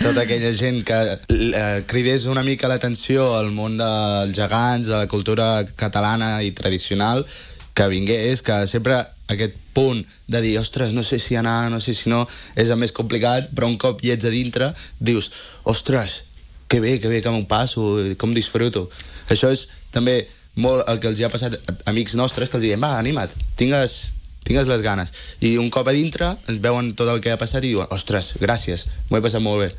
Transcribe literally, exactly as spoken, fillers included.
tota aquella gent que eh, cridés una mica l'atenció al món dels gegants, de la cultura catalana i tradicional, que vingués, que sempre aquest punt de dir, ostres, no sé si anar, no sé si no, és el més complicat, però un cop hi ets a dintre, dius, ostres, que bé, que bé que m'ho passo, com disfruto. Això és també molt el que els hi ha passat a amics nostres, que els diem, va, anima't, tingues, tingues les ganes. I un cop a dintre ens veuen tot el que ha passat i diuen, ostres, gràcies, m'ho he passat molt bé.